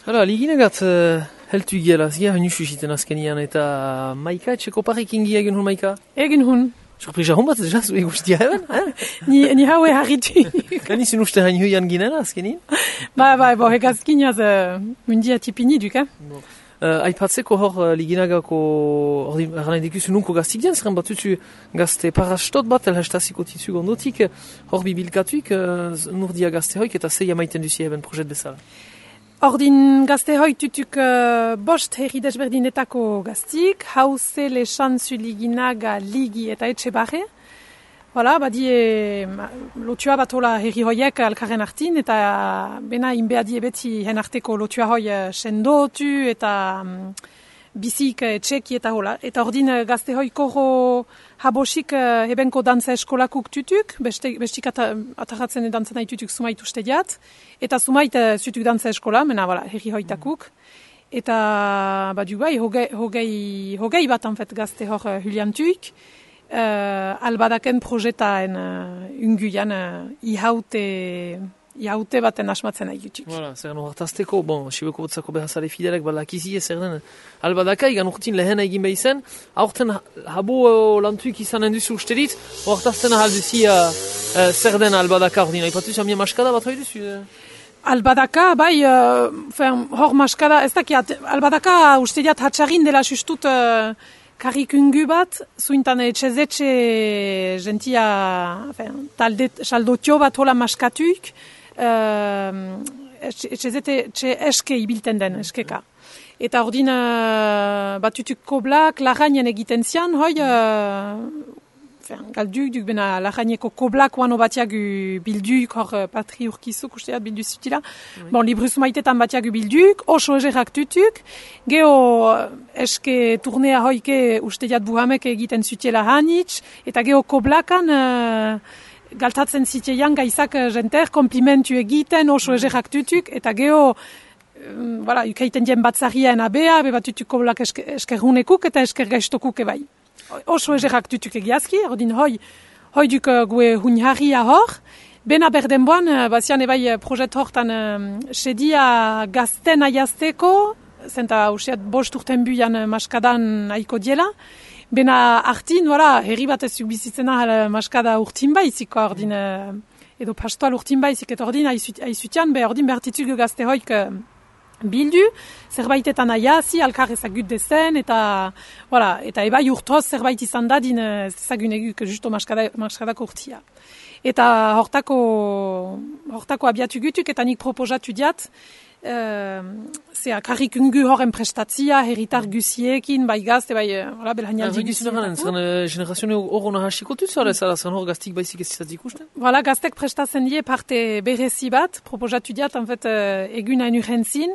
Hala, liginagat heltu giela, zia hainu susiten azkenian, eta Maika, etxeko parekin gia egin hun, Maika? Egin hun. Surprisa hon bat, jaz, egustia eben, Ni haue harritu. Gani zin uste hain huian ginena azkenin? Bo, hegazkin jaz mundia tipini duk, Aipatzeko hor liginagako, erranen dikuzu nunko gaztik dien, zeren batutu gazte parastot bat, elhastaziko titu gondotik, hor bibilkatuik, nurdia gazte hoik, eta zei amaiten duzi eben projet bezala. Ordin gazte hoi tutuk bost herri desberdinetako gaztik, hauze lesan zu liginaga ligi eta etxe barre. Voilà, badie lotua batola herri hoiek alkarren artin, eta bena inbeadie beti hen arteko lotua hoi sendotu eta bizik etxeki eta hola. Eta ordin gazte hoi korro habosik ebenko dantza eskolakuk tutuk, bestik atarratzen dantzan nahi tutuk sumait uste diat, eta sumait zutuk dantza eskola, mena voilà, herri hoitakuk. Eta badu bai, hogei bat anfet gazte hor huliantuik, albadaken projetaen unguian ihaute baten asmatzen nahi jutuk. Voilà, zer gano hartazteko, sibeko botzako behazale fidelek balakizie zer den albadaka, igan urtin lehen egin behizen, aurten habo lantuik izanen duzu uste dit, hartazten ahalduzi zer den albadaka ordina. Ipatu zamien maskada bat hoi duzu? Albadaka, bai, hor maskada, ez dakiat, albadaka uste diat hatxarin dela justut karikungu bat, zuintan etxezetxe gentia, talde saldotio bat hola maskatuik, etxezetxe eske ibilten den, eskeka. Eta ordin batutuk koblak, larainen egiten zian, hoi, galduk, duk bena laraineko koblak oano batiagu bilduk, hor patri urkizuk, usteat bildu zutila. Libruz maitetan batiagu bilduk, oso egerak tutuk, geho eske turnea hoike usteat buhamek egiten zutela hanitz, eta geho koblakan galtatzen ziteian gaizak jenter, komplimentu egiten, oso egerak tutuk, eta geho ukaiten dien batzarien abea, bebatutuk koblak eskerrunekuk eta eskergaistokuk ebai. Oso egerak tutuk egiazki, ordin hoi duk gue hunharria hor. Bena berdenboan, bazian ebai projet hortan sedia gazten aiazteko, zenta useat bost urten buian maskadan aiko diela. Bena artin, herri bat ez bizitzena maskada urtin baizik, ordin, edo pastoal urtin baizik, eta ordin aizutian, ordin behartitzuk gazte hoik bildu, zerbaitetan aiazi, alkar ezagut dezen, eta ebai urtoz zerbait izan dadin ezagun eguk justo maskadako urtia. Eta hortako abiatu gutuk, eta nik proposatu diat, karrikungu horren prestatzia, herritar guziekin, bai gazte, bai belhainaldi guziekin. Generazione horro nahasikotu zara, zan hor gaztik baizik ez izat ikusten? Gaztek prestatzen die parte berezi bat, proposatu diat, egun hain urrentzin.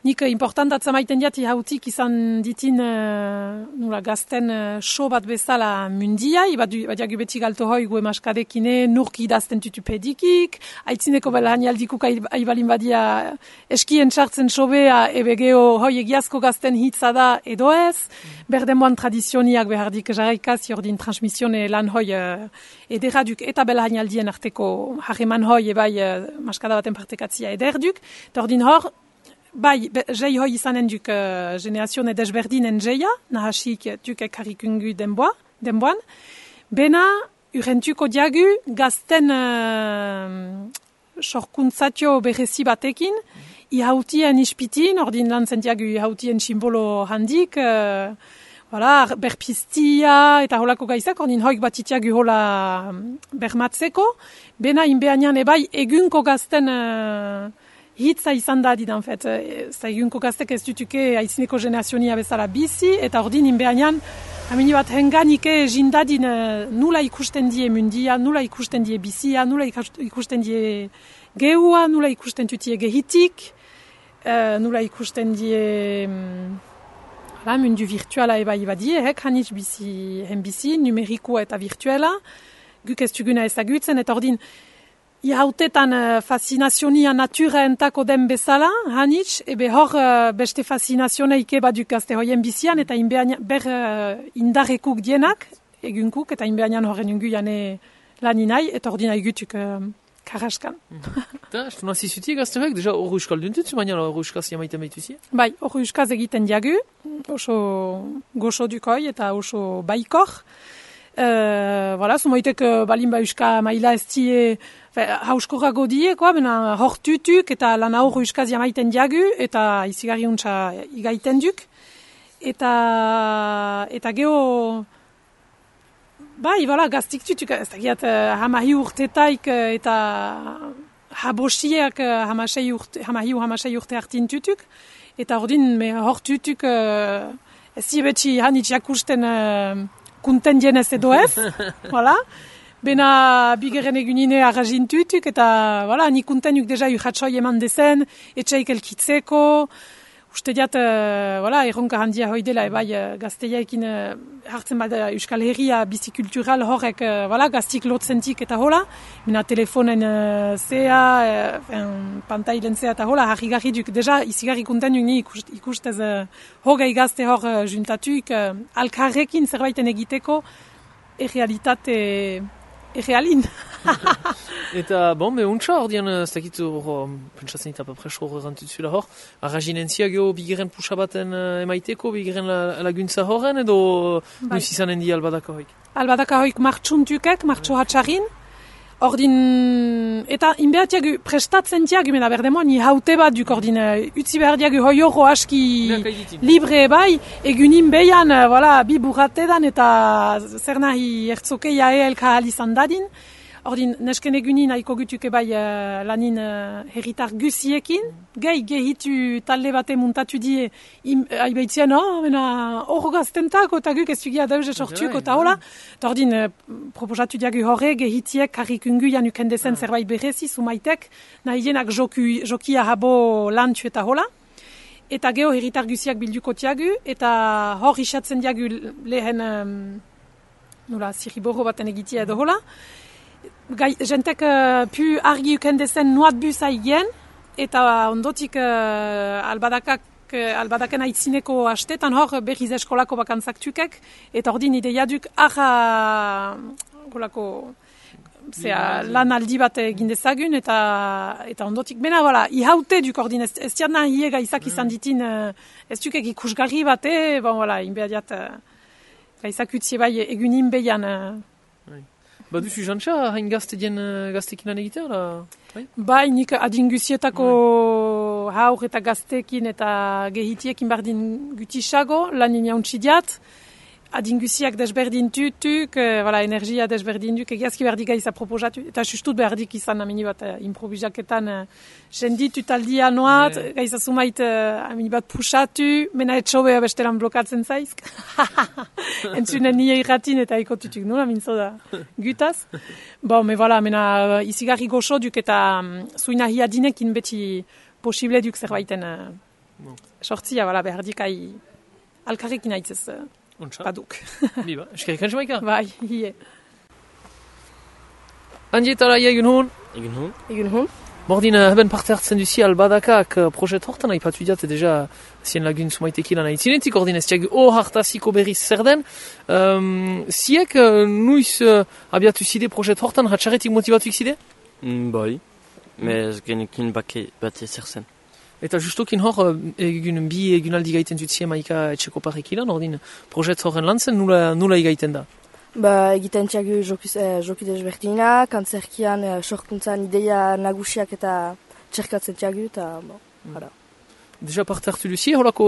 Nik importantatza maiten diat ihautik izan ditin gazten show bat bezala mundiai, badiagu beti galto hoi gue maskadekine nurki idazten tutupedikik, aitzineko belhanialdikuk aibalin badia eskien txartzen sobea ebe geho hoi egiazko gazten hitza da edo ez, berdemoan tradizioniak behardik jarraikaz jordin transmisione lan hoi ederaduk eta belhanialdien arteko harreman hoi ebai maskada baten partekatzia ederduk, eta ordin hor, bai, jei hoi izanen duk generazione desberdinen jeia, nahasik duk karikungu denboan. Bena, urrentuko diagu, gazten sorkuntzatio berezi batekin, ihautien ispitin, ordin lan zentiagu ihautien simbolo handik, berpiztia eta holako gaizak, ordin hoik batitiagu hola bermatzeko. Bena, inbeanian ebai, egunko gazten hitza izan da didan, egunko gaztek ez dutuke aizineko generazionia bezala bizi, eta ordin inbeanian, amini bat henganike jindadin nula ikusten die mundia, nula ikusten die bizia, nula ikusten die gehua, nula ikusten tutie gehitik, nula ikusten die mundu virtuala eba ibadie, hanitz bizi, numerikoa eta virtuela, guk ez tuguna ezagutzen, eta ordin, ihautetan fascinazionia natura entako den bezala, hanitz, ebe hor beste fascinazioneike baduk gazte hoien bizian, eta ber indarrekuk dienak, egunkuk, eta inbeanian horren ungu jane laninai, eta ordina egutuk Karraskan. Eta, estu nazi zuti gazteak, deja hor euskal duntutzu, baina hor euskaz jamaiten behituzi? Bai, hor euskaz egiten diagu, oso goxo dukoi eta oso baikor. Voilà, sumoitek balin ba euska maila ez die hauskorrago die, bena hor tutuk eta lan hor euskaz jamaiten diagu eta izigarri untsa igaiten duk. Eta geho, bai, voilà, gaztik tutuk, ez dakiat hamahi urtetaik eta habosiak hamasei urte hartin tutuk. Eta ordin, hor tutuk, ez zibetxi hanitz jakusten kunten dienez edo ez, voilà. Bena bigeren egunine arrazin tutuk, eta voilà, ni kuntenuk deja urratxoi eman dezen, etxeik elkitzeko, uste diat, voilà, erronka handia hoi dela, bai, gazteiaekin hartzen bada Euskal Herria bizikultural horrek, voilà, gaztik lotzentik eta hola, bena telefonen zea, pantailen zea eta hola, harri duk, deja, izigarri kuntenuk ni ikustez hogei gazte hor juntatuk, alkarrekin zerbaiten egiteko, errealitate errealin. Eta, bon, untsa hor dian, ez dakit hor, pentsatzen eta papreso hor errantutzula hor, arrazinentzia geho bigeren puxa baten emaiteko, bigeren laguntza horren, edo nuiz izanen di albadaka hoik? Albadaka hoik martxuntukek, martxo hatxarin, ordin, eta inbeatiagu prestatzen diagu, mena berdemoan, ni haute bat duk ordin, utzi behar diagu hoi horro aski libre bai, egunin behian, voilà, bi burratedan eta zer nahi ertzokeia elka alizan dadin. Ordin, nesken egunin haiko gutuke bai lanin herritar guziekin, gehitu talde bate muntatu die, haibeitzien, hor gaztentako eta guk ez dugia dauze sortuko eta hola. Ordin, proposatu diagu horre, gehitiek karrikungu januken dezen zerbait berezi, sumaitek, nahi jenak jokia habo lantxu eta hola. Eta geho herritar guziak bilduko tiagu, eta hor isatzen diagu lehen, zirriborro baten egitia edo hola. Jentek pu argi uken dezen nuat busa igen, eta ondotik albadaken aitzineko hastetan hor berriz eskolako bakantzak tukek, eta ordin ideiaduk lan aldi bat egin dezagun, eta ondotik, bena, voilà, ihaute duk ordin, ez diadna hiega izak izan ditin, ez dukek ikusgarri bate, bon, voilà, inbehadiat, gaizak utzie bai egunin behian, Baduzu jantxa, hain gaztekin lan egitea, bai? Bai, nik adinguzietako haur eta gaztekin eta gehitiekin bardin gutisago, lan inauntzi diat. Adinguziak desberdin tutuk, energia desberdin duk, egiazki berdik gaiza proposatu. Eta sustut berdik izan amini bat improvisaketan jendit utaldia noat, gaiza sumait amini bat pusatu, mena etxobea bestelan blokatzen zaizk. Entzunen nire irratin eta ikotutuk nula, mintzo da gutaz. Bon, mena izigarri goxo duk eta zuina hiadinekin beti posible duk zerbaiten sortzia, berdik alkarrekin aitzez. Baduk. Biba, eskerik antxe maika? Bai, hie. Andietara, egun hon? Egun hon. Bordin, heben parte hartzen duzi albadakak projet hortan haipatu diat, deja zien lagun sumaiteki lan haitzinetik, ordin ez tiag hartaziko berriz zer den. Ziek, nuiz abiatu zide projet hortan, hatxaretik motivatuik zide? Bai, ez genekin bate zer zen. Eta justokin hor, egun aldi gaiten zutzien maika etxeko parrekilan, ordin, projet horren lan zen, nula igaiten da? Egiten txagu joki desberdina, kantzerkian, sorkuntzan ideia nagusiak eta txerkatzen txagu, eta jara. Deja parte hartu duzi, holako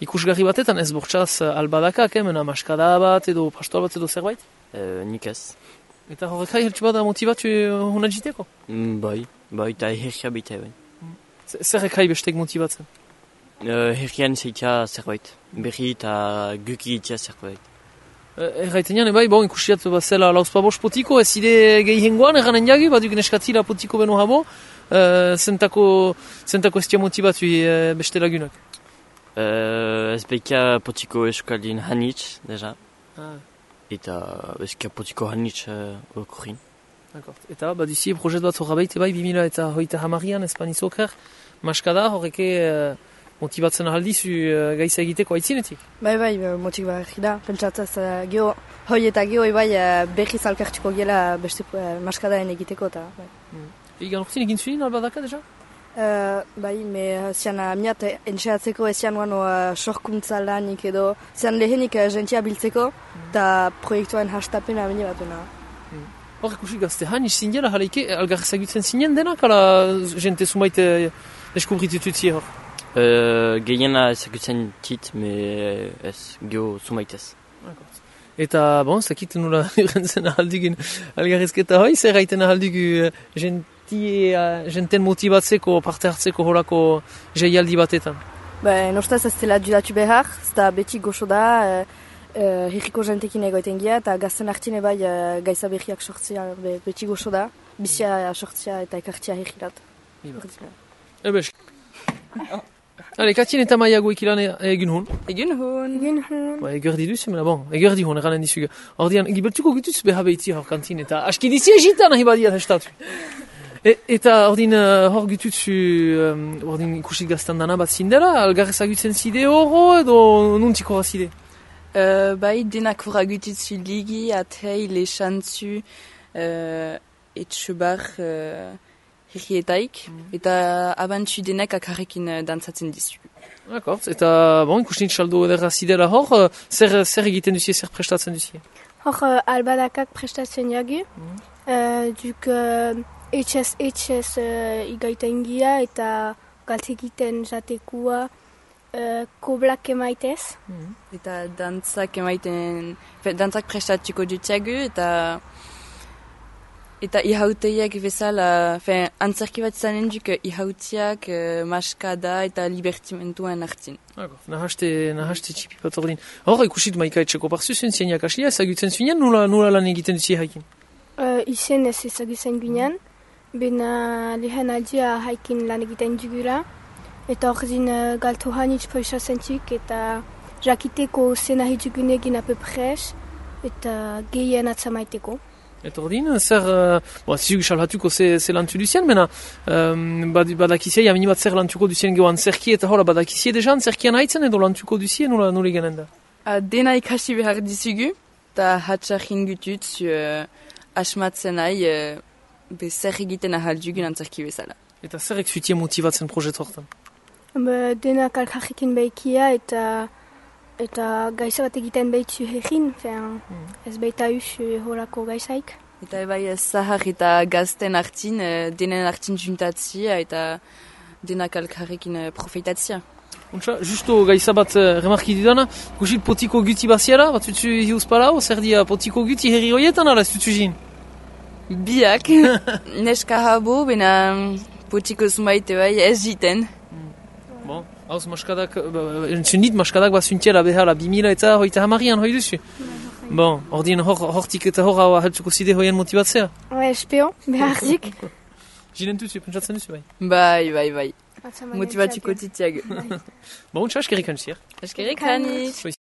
ikusgarri batetan ez bortxaz albadakak, mena maskada bat edo pastoa bat edo zerbait? Nik ez. Eta horrekai heltsu bada motivatu hona jiteko? Bai, eta herria bita bai. Zer ekai bestek motibatzen? Herrian zeitia zerbait, berri eta guki itia zerbait. Erraiten jan, ikusiat zela lauzpa bost potiko, ez ide gehi hengoan, erranen jagi, baduk neskatzila potiko beno habo, zentako ez tia motivatu beste lagunak? Ez behikia potiko eskaldin hanitz, deja. Eta ezkia potiko hanitz okorin. Eta, baduzi, projet bat horra baite bai, 2030an, Espaniz oker, maskada, horreke motibatzen ahaldizu gaiza egiteko aitzinetik? Bai, motibatzen da. Pentsatzaz, hoi eta geho berriz alkartuko gela beste maskadaen egiteko eta. Egan urtin egin zuen albadaka, deja? Bai, zian miat entxeatzeko ezian guano sorkuntza lanik edo, zian lehenik jentia biltzeko, eta proiektuaren hastapena bine batuna. Hor, ikusi gazte hain, zindela, jaleike, algar ezagutzen zinen denak, ala jente zumait deskubritutuzie hor? Gehiena ezagutzen tit, me ez, geho zumaitez. Eta, bon, zakit nula irrentzen ahaldugin algarrezketa hoi, zer gaiten ahaldugu jenten motibatzeko, parte hartzeko horako jaialdi batetan? Nostaz ez dela dudatu behar, ez da beti goxo da, herriko jentekin egoiten gira, eta gazten hartine bai gaiza berriak sortzea beti goxo da, bizia sortzea eta ekartzea herrirat. Ebes. Ale, Katien eta Maiago ikilan egin hon? Egin hon. Egerdi duzu, mena bon, egerdi hon, eranen dizuga. Ordean, gibeltuko gutuz beha behitzi hor kantin, eta aski dizi egitan nahi badia testatu. Eta ordin hor gututzu, ordin ikusi gaztan dana bat zindela, algar ezagutzen zide horro edo nuntiko razide? Bai, denak horra gututzu ligi, atei, lexantzu, etxubar herrietaik, eta abantzu denek akarrekin dantzatzen dizu. Akort, eta bon, ikusten txaldo edera zidela hor, zer egiten duzie, zer prestatzen duzie? Hor albadakak prestatzen jagu, duk etxez igaiten gira eta galtzekiten jatekua koblak emaitez. Eta dantzak emaiten, dantzak prestatuko dutiagu eta ihauteiak bezala, antzerki bat zanen duk ihautiak, maskada eta libertimentuen hartzin. Nahaste txipi bat ordin. Hor, ikusit maika etxeko parzu zuen zieniak aslia, ezagutzen zuenean, nula lan egiten duzie haikin? Izen ez ezagutzen ginen, bena lehen aldia haikin lan egiten dugura, eta hor zin galtu hanitz poisatzen txik, eta jakiteko zena hidugun egin apepres, eta gehien atzamaiteko. Eta ordin, zer, zizuk salhatuko ze lantu duzien, mena badakizia, jamini bat zer lantuko duzien geho antzerki, eta hola badakizia deja antzerkian haitzen edo lantuko duzien, nula egenen da? Dena ikasi behar dizugu, eta hatxarrin gutut, asmatzen nahi, zer egiten ahaldugun antzerki bezala. Eta zer ekzuitie motivatzen projet hortan? Denak alkarrekin behikia eta gaiza bat egiten behitzu herrin, ez behita horako gaizaik. Eta bai zahar eta gazten hartin, denen hartin juntatzia eta denak alkarrekin profitatzia. Untsa, justo gaiza bat remarki dudana, kusit potiko guti baziala, bat zutzu hiuz palau, zer dia potiko guti herri horietan ala ez zutzu zin? Biak, neska habo, bena potiko zumaite bai ez jiten. Bon, hauz maskadak, entzunit maskadak bat zuntiela behala 2000 eta hoita hamarian hoi duzu. Bon, ordien hortik eta hor hau ahaltzuko zide hoien motibatzea? Espeo, beharzik. Jinen duzu, pentsatzen duzu bai? Bai. Motibatiko titiag. Bon, untsa, eskerrik aniz. Eskerrik aniz.